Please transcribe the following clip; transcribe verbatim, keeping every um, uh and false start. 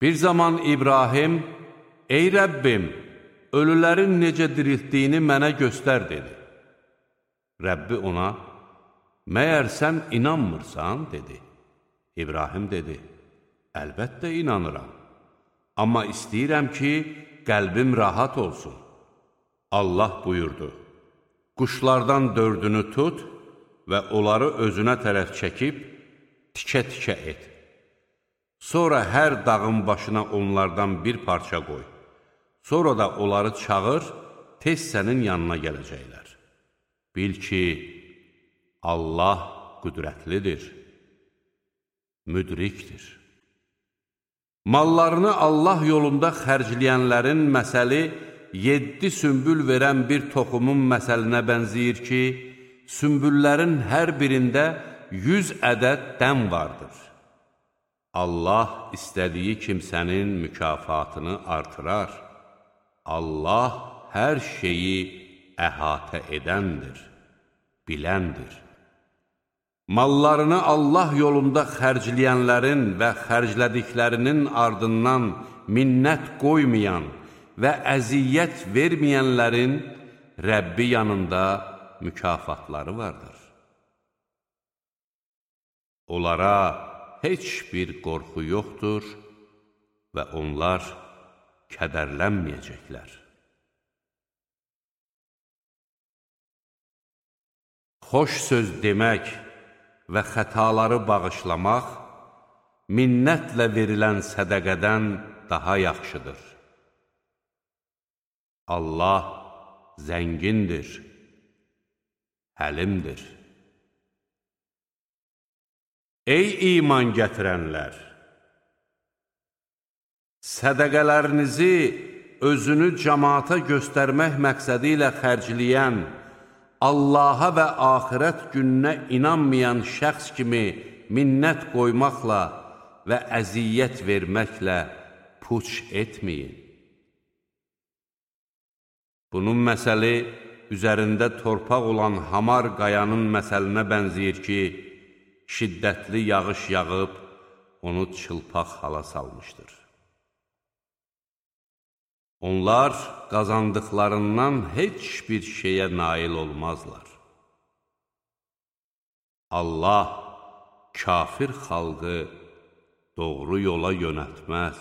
Bir zaman İbrahim, ey Rəbbim, ölülərin necə diriltdiyini mənə göstər, dedi. Rəbbi ona, məyər sən inanmırsan, dedi. İbrahim dedi, əlbəttə inanıram, amma istəyirəm ki, qəlbim rahat olsun. Allah buyurdu, quşlardan dördünü tut və onları özünə tərəf çəkib, tikə-tikə et. Sonra hər dağın başına onlardan bir parça qoy. Sonra da onları çağır, tez sənin yanına gələcəklər. Bil ki, Allah qüdrətlidir, müdrikdir. Mallarını Allah yolunda xərcləyənlərin məsəli yeddi sümbül verən bir toxumun məsəlinə bənzəyir ki, sümbüllərin hər birində yüz ədəd dən vardır. Allah istədiyi kimsənin mükafatını artırar. Allah hər şeyi əhatə edəndir, biləndir. Mallarını Allah yolunda xərcləyənlərin və xərclədiklərinin ardından minnət qoymayan və əziyyət verməyənlərin Rəbbi yanında mükafatları vardır. Onlara heç bir qorxu yoxdur və onlar kədərlənməyəcəklər. Xoş söz demək və xətaları bağışlamaq minnətlə verilən sədəqədən daha yaxşıdır. Allah zəngindir, həlimdir. Ey iman gətirənlər! Sədəqələrinizi özünü cəmaata göstərmək məqsədi ilə xərcləyən, Allaha və axirət gününə inanmayan şəxs kimi minnət qoymaqla və əziyyət verməklə puç etməyin. Bunun məsəli üzərində torpaq olan hamar qayanın məsəlinə bənzəyir ki, şiddətli yağış yağıb, onu çılpaq hala salmışdır. Onlar qazandıqlarından heç bir şeyə nail olmazlar. Allah kafir xalqı doğru yola yönəltməz.